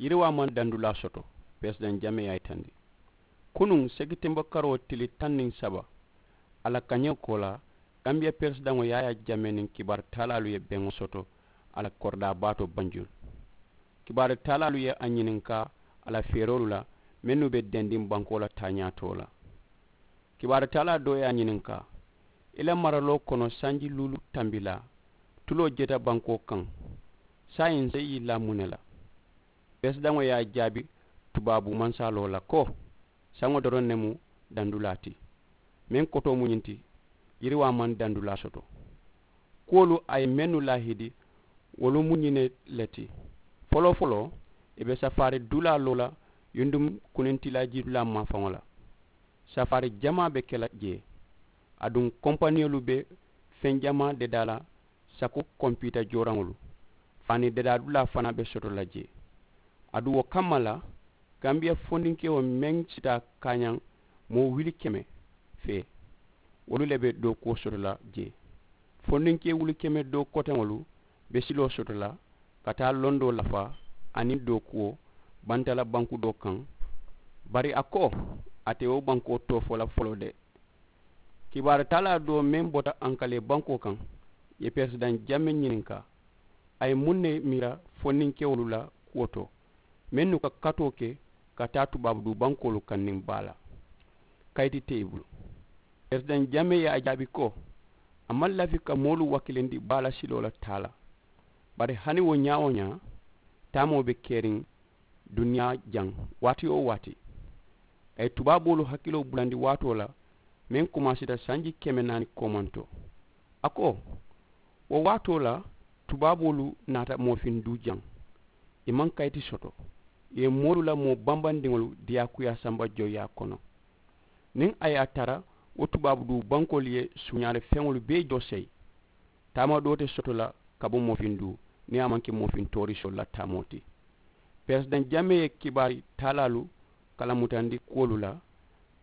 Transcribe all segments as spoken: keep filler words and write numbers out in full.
Yiriwaa maŋ dandulaa soto. Peresidaŋ jamee ye a yitandi kunuŋ sekitembo karoo tili taŋ niŋ saba, a la kañewo koolaa, kanbiya peresidaŋo yaaya jamee niŋ kibaari taalaalu ye beŋo soto a la koridaa baatoo banjul. Kibaari taalaalu ye a ñininkaa a la feeroolu la mennu be dendiŋ bankoo la taañaatoo la. Kibaari taalaa doo ye a ñininkaa, i la maraloo kono sanji luulu tambilaa tuloo jeta bankoo kaŋ, saayiŋ nse yillaa muŋ ne la? Peresidaŋo ye a jaabi tubaabu mansaaloo la ko, saŋo doroŋ ne mu dandulaa ti. Meŋ kotoo mu ñiŋ ti, yiriwaa maŋ dandulaa soto. Kuwolu a ye mennu laahidi, wolu mu ñiŋ ne le ti. Foloo foloo, i be safaari dulaa loo la yunduŋ kunintilaa jiidulaa maafaŋo la. Safaari jamaa be ke la jee. Aduŋ kompaniyolu be feŋ jamaa dedaa la, sako kompiita jooraŋolu, faani dedaa dulaa fanaa be soto la jee. Aduŋ wo kamma la, kanbiya fondinkewo meŋ sita kaañaŋ moo wuli keme fee, wolu le be dookuwo soto la jee. Fondinkee wuli keme doo koteŋolu be siloo soto la ka taa londoo lafaa aniŋ dookuwo bantala banku doo kaŋ. Bari a ko, a te wo bankoo too fo la foloo de. Kibaari taalaa doo meŋ bota ankalee bankoo kaŋ ye peresidaŋ jamee ñininkaa, a ye muŋ ne miira fondinkewolu la kuwo to mennu ka katoo ke ka taa tubaabu duu bankoolu kaŋ niŋ baa la? Kayiti te i bulu. Peresidaŋ jamee ye a jaabi ko, a maŋ lafi ka moolu wakilindi baa la siloo la taa la. Bari hani wo ñaa-wo-ñaa, taamoo be keriŋ duniyaa jaŋ waati-wo-waati. A ye tubaaboolu hakiloo bulandi waatoo la meŋ kumaasita sanji keme naani koomantoo. A ko, wo waatoo la tubaaboolu naata moofiŋ duu jaŋ. I maŋ kayiti soto. I ye moolu la moo bambandiŋolu diyaakuyaa samba joyiyaa kono. Niŋ a ye a tara wo tubaabu duu bankoolu ye suuñaale feŋolu bee jooseyi, taama doo te soto la ka bo moofiŋ duu niŋ a maŋ ke moofiŋ toorisoo la taamoo ti. Peresidaŋ jamee ye kibaari taalaalu kalamutandi kuwolu la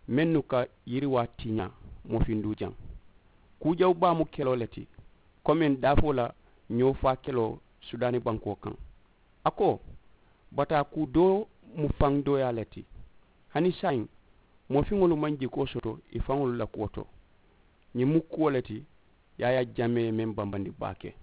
mennu ka yiriwaa tiñaa moofiŋ duu jaŋ. Kuu jawu baa mu keloo le ti, komiŋ daafoo la ñoo faa keloo sudaani bankoo kaŋ. A ko, bataa kuu doo mu faŋ dooyaa le ti. Hani saayiŋ moofiŋolu maŋ jikoo soto i faŋolu la kuwo to. Ñiŋ mu kuwo le ti yaaya jamee ye meŋ bambandi baake.